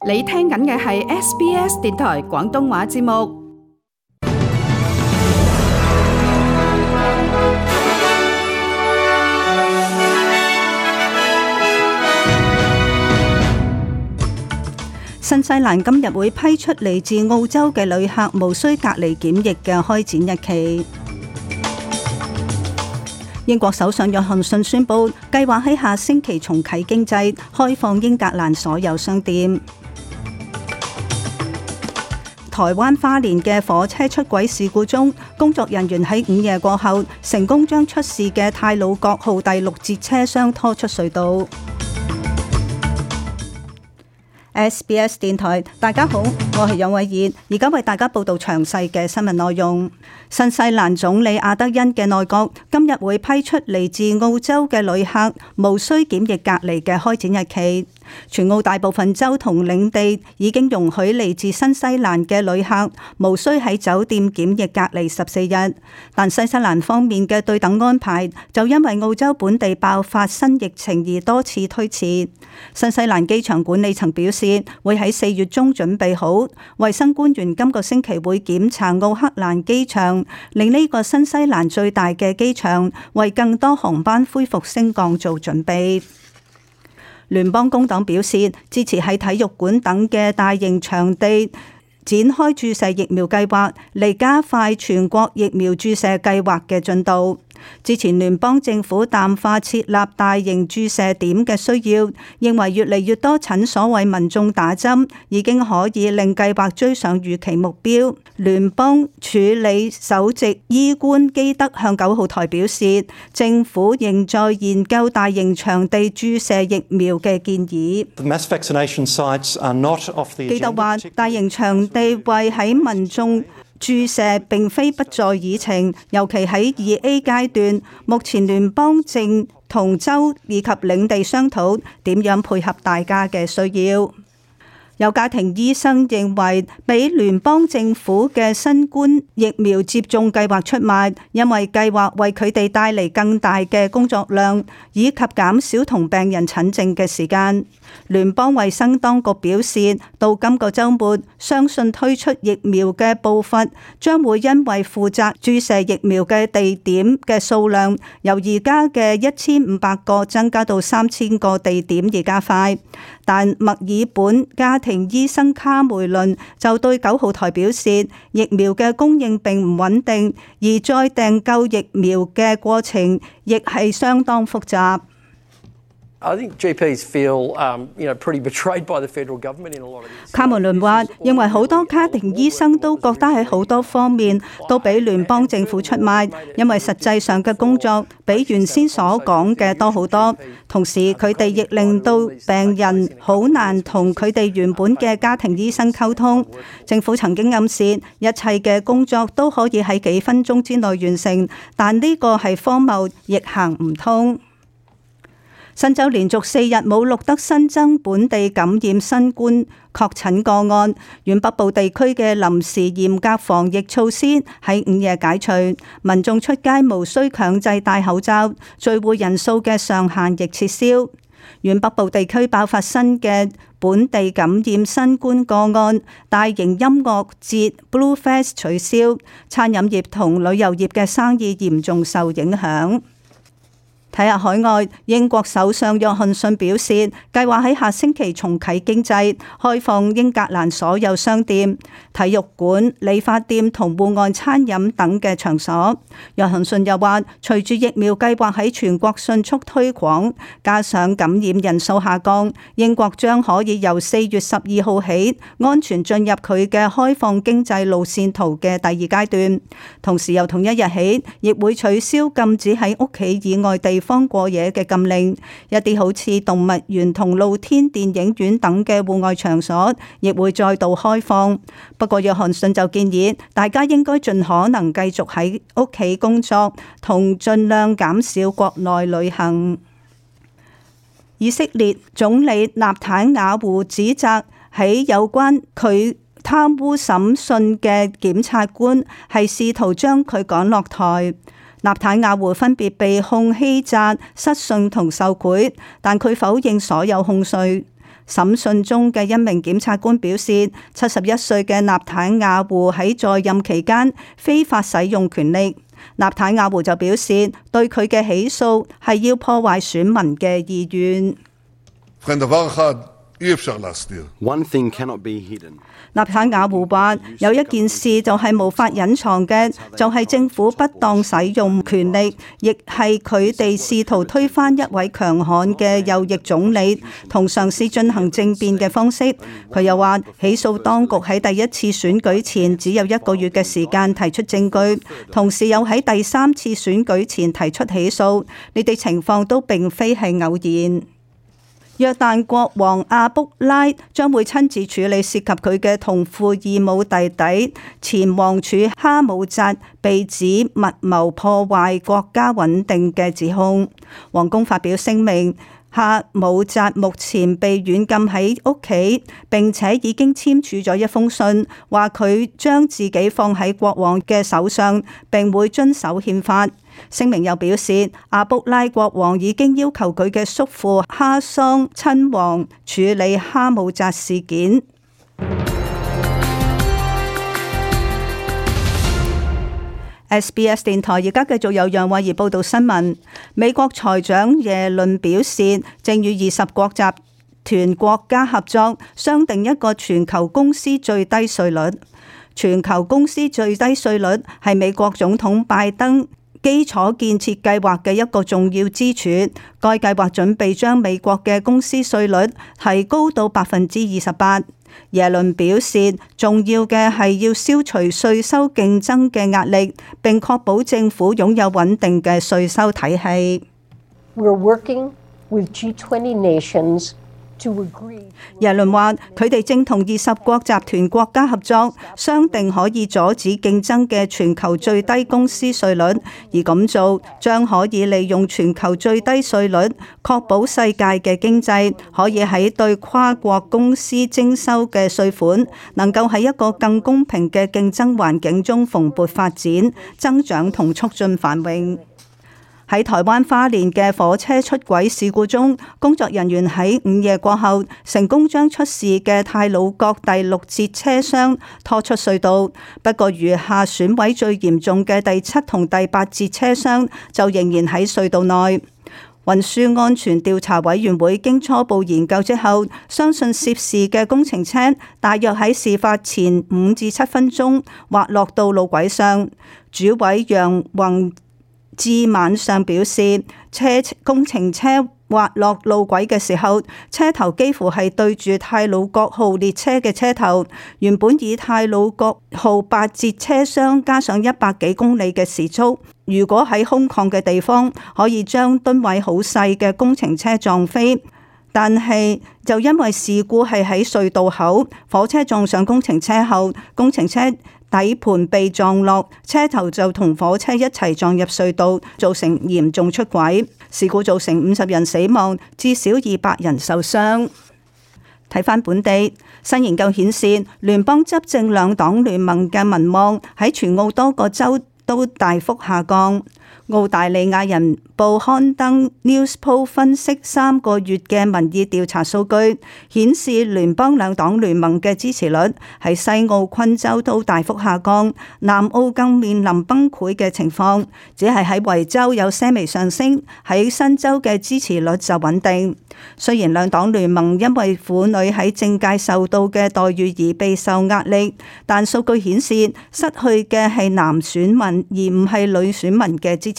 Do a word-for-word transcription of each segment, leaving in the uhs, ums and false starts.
你聽緊嘅係 S B S 電台廣東話節目。新西蘭今日會批出嚟自澳洲嘅旅客無需隔離檢疫嘅開展日期。英國首相約翰遜宣布，計劃喺下星期重啟經濟，開放英格蘭所有商店。台灣花蓮嘅火車出軌事故中，工作人員喺午夜過後成功將出事嘅太魯閣號第六節車廂拖出隧道。S B S 電台，大家好，我係楊偉儀，而家為大家報道詳細嘅新聞內容。新西蘭總理阿德恩嘅內閣今日會批出嚟自澳洲嘅旅客無需檢疫隔離嘅開展日期。全澳大部分州同領地已經容許嚟自新西蘭嘅旅客無需喺酒店檢疫隔離十四日，但新西蘭方面嘅對等安排就因為澳洲本地爆發新疫情而多次推遲。新西蘭機場管理層表示會喺四月中準備好，衛生官員今個星期會檢查奧克蘭機場，令呢個新西蘭最大嘅機場為更多航班恢復升降做準備。聯邦工黨表示支持喺體育館等嘅大型場地展開注射疫苗計劃，嚟加快全國疫苗注射計劃嘅進度。之前聯邦政府淡化設立大型注射點嘅需要，認為越嚟越多診所為民眾打針已經可以令計劃追上預期目標。聯邦處理首席醫官基德向九號台表示，政府仍在研究大型場地注射疫苗嘅建議。基德話，大型場地為喺民眾注射並非不在議程，尤其喺二 A 階段，目前聯邦正同州以及領地商討點樣配合大家嘅需要。有家庭醫生認為，俾聯邦政府嘅新冠疫苗接種計劃出賣，因為計劃為佢哋帶嚟更大嘅工作量，以及減少同病人診症嘅時間。聯邦衛生當局表示，到今個週末，相信推出疫苗嘅步伐將會因為負責注射疫苗嘅地點嘅數量由而家嘅一千五百個增加到三千個地點而加快。但墨爾本家庭醫生卡梅倫就對九號台表示，疫苗嘅供應並唔穩定，而再訂購疫苗嘅過程亦係相當複雜。卡梅倫話，認為好多家庭醫生都覺得喺好多方面都俾聯邦政府出賣，因為實際上嘅工作比原先所講嘅多好多。同時，佢哋亦令到病人好難同佢哋原本嘅家庭醫生溝通。政府曾經暗示一切嘅工作都可以喺幾分鐘之內完成，但呢個係荒謬，亦行唔通。新州連續四日冇錄得新增本地感染新冠確診個案，遠北部地區嘅臨時嚴格防疫措施喺午夜解除，民眾出街無需強制戴口罩，聚會人數嘅上限亦撤銷。遠北部地區爆發新嘅本地感染新冠個案，大型音樂節 Blue Fest 取消，餐飲業同旅遊業嘅生意嚴重受影響。睇下海外，英國首相約翰遜表示，計劃喺下星期重啟經濟，開放英格蘭所有商店、體育館、理髮店同戶外餐飲等嘅場所。約翰遜又話，隨住疫苗計劃喺全國迅速推廣，加上感染人數下降，英國將可以由四月十二號起安全進入佢嘅開放經濟路線圖嘅第二階段。同時由同一日起，亦會取消禁止喺屋企以外地方過夜嘅禁令，一啲好似動物園同露天電影院等嘅戶外場所亦會再度開放。不過約翰遜就建議大家應該盡可能繼續喺屋企工作，同盡量減少國內旅行。以色列總理納坦雅胡指責喺有關佢貪污審訊嘅檢察官係試圖將佢趕落台。納坦雅胡分別被控欺詐、失信同受賄，但佢否認所有控罪。審訊中嘅一名檢察官表示，七十一歲嘅納坦雅胡喺在任期間非法使用權力。納坦雅胡就表示，對佢嘅起訴係要破壞選民嘅意願。One thing cannot be hidden. 納坦雅胡話：有一件事就係無法隱藏嘅，就係政府不當使用權力，亦係佢哋試圖推翻一位強悍嘅右翼總理，同嘗試進行政變嘅方式。佢又話：起訴當局喺第一次選舉前只有一個月嘅時間提出證據，同時又喺第三次選舉前提出起訴，呢啲情況都並非係偶然。約旦國王阿卜拉將會親自處理涉及佢嘅同父異母弟弟前王儲哈姆扎被指密謀破壞國家穩定嘅指控。皇宮發表聲明，哈姆扎目前被軟禁喺屋企，並且已經簽署咗一封信，話佢將自己放喺國王嘅手上，並會遵守憲法。聲明又表示，阿卜拉國王已經要求佢嘅叔父哈桑親王處理哈姆扎事件。S B S 電台而家繼續有楊慧儀報道新聞。美國財長耶倫表示，正與二十國集團國家合作，商定一個全球公司最低稅率。全球公司最低稅率係美國總統拜登基礎建設計劃嘅一個重要支柱，該計劃準備將美國嘅公司稅率提高到百分之二十八。耶倫表示，重要嘅係要消除稅收競爭嘅壓力，並確保政府擁有穩定嘅稅收體系。We're working with G twenty nations. 耶倫話：佢哋正同二十國集團國家合作，商定可以阻止競爭嘅全球最低公司稅率，而咁做將可以利用全球最低稅率，確保世界嘅經濟可以喺對跨國公司徵收嘅稅款，能夠喺一個更公平嘅競爭環境中蓬勃發展、增長同促進繁榮。喺台灣花蓮嘅火車出軌事故中，工作人員喺午夜過後成功將出事嘅太魯閣第六節車廂拖出隧道，不過餘下損毀最嚴重嘅第七同第八節車廂就仍然喺隧道內。運輸安全調查委員會經初步研究之後，相信涉事嘅工程車大約喺事發前五至七分鐘滑落到路軌上。主委楊宏至晚上表示，車工程車滑落路軌嘅時候，車頭幾乎係對住太魯閣號列車嘅車頭。原本以太魯閣號八節車廂加上一百幾公里嘅時速，如果喺空曠嘅地方，可以將噸位好細嘅工程車撞飛。但係就因為事故係喺隧道口，火車撞上工程車後，工程車底盤被撞落，車頭就同火車一齊撞入隧道，造成嚴重出軌。事故造成五十人死亡，至少二百人受傷。睇返本地新研究顯示，聯邦執政兩黨聯盟嘅民望喺全澳多個州都大幅下降。澳大利亞人報刊登 Newspoll 分析三個月嘅民意調查數據，顯示聯邦兩黨聯盟嘅支持率喺西澳昆州都大幅下降，南澳更面臨崩潰嘅情況，只係喺維州有些微上升，喺新州嘅支持率就穩定。雖然兩黨聯盟因為婦女喺政界受到嘅待遇而備受壓力，但數據顯示失去嘅係男選民而唔係女選民嘅支持。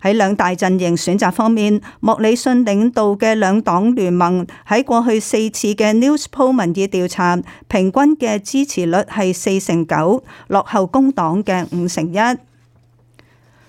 喺兩大陣營選擇方面，莫里遜領導嘅兩黨聯盟喺過去四次嘅 Newspoll 民意調查，平均嘅支持率係四成九，落後工黨嘅五成一。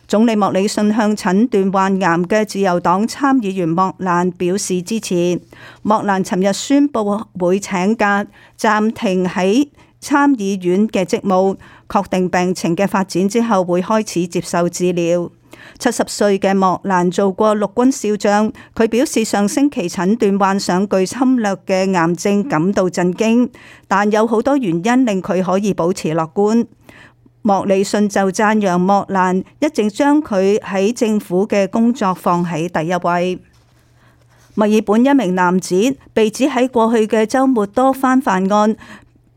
總理莫里遜向診斷患癌嘅自由黨參議員莫蘭表示支持。莫蘭尋日宣布會請假，暫停喺參議院嘅職務，確定病情嘅發展之後會開始接受治療。七十歲嘅莫蘭做過陸軍少將，佢表示上星期診斷患上具侵略嘅癌症感到震驚，但有好多原因令佢可以保持樂觀。莫里遜就讚揚莫蘭一直將佢喺政府嘅工作放喺第一位。墨爾本一名男子被指喺過去嘅週末多番犯案，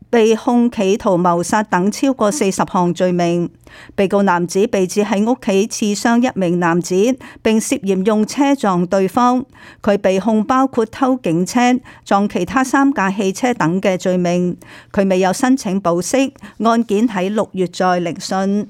被控企圖謀殺等超過四十項罪名。被告男子被指喺屋企刺傷一名男子，並涉嫌用車撞對方。佢被控包括偷警車、撞其他三架汽車等嘅罪名。佢未有申請保釋，案件喺六月再聆訊。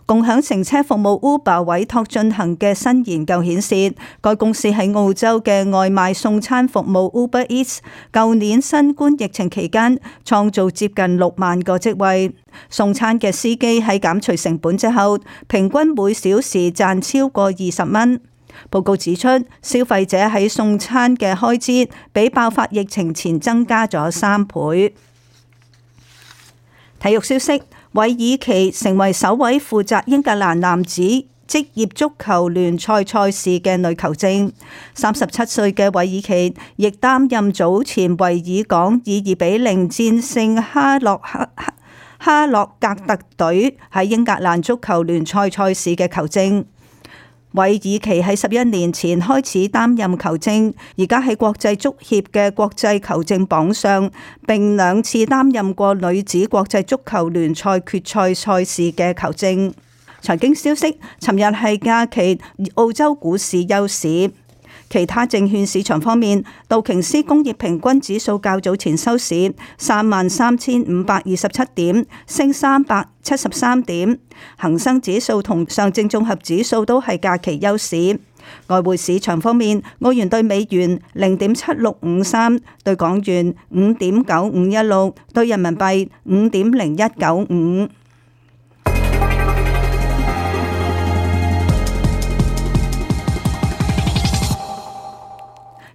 共享乘車服務 Uber 委託進行嘅新研究顯示，該公司喺澳洲嘅外賣送餐服務 Uber Eats， 舊年新冠疫情期間創造接近六萬個職位。送餐嘅司機喺減除成本之後，平均每小時賺超過二十蚊。報告指出，消費者喺送餐嘅開支比爆發疫情前增加咗三倍。體育消息。韋爾奇成為首位負責英格蘭男子職業足球聯賽賽事嘅女球證。三十七歲嘅韋爾奇亦擔任早前維爾港以二比零戰勝哈洛克哈洛格特隊喺英格蘭足球聯賽賽事嘅球證。韋爾奇喺十一年前開始擔任球證，而家喺國際足協嘅國際球證榜上，並兩次擔任過女子國際足球聯賽決賽賽事嘅球證。財經消息，尋日係假期，澳洲股市休市。其他證券市場方面，道瓊斯工業平均指數較早前收市三萬三千五百二十七點，升三百七十三點。恒生指數同上證綜合指數都係假期休市。外匯市場方面，澳元對美元零點七六五三，對港元五點九五一六，對人民幣五點零一九五。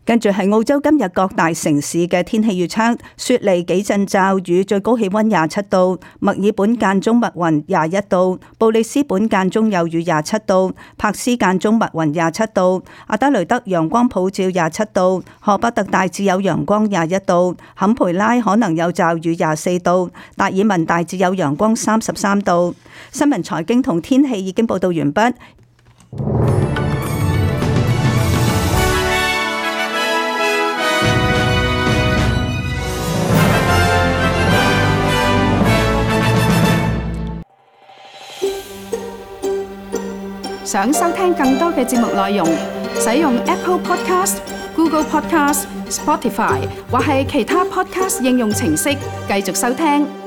跟住係澳洲今日各大城市嘅天氣預測：雪梨幾陣驟雨，最高氣溫廿七度；墨爾本間中密雲廿一度；布里斯本間中有雨廿七度；柏斯間中密雲廿七度；阿德雷德陽光普照廿七度；荷伯特大致有陽光廿一度；坎培拉可能有驟雨廿四度；達爾文大致有陽光三十三度。新聞財經同天氣已經報道完畢。想收聽更多嘅節目內容，使用 Apple Podcast、Google Podcast、Spotify 或係其他 Podcast 應用程式繼續收聽。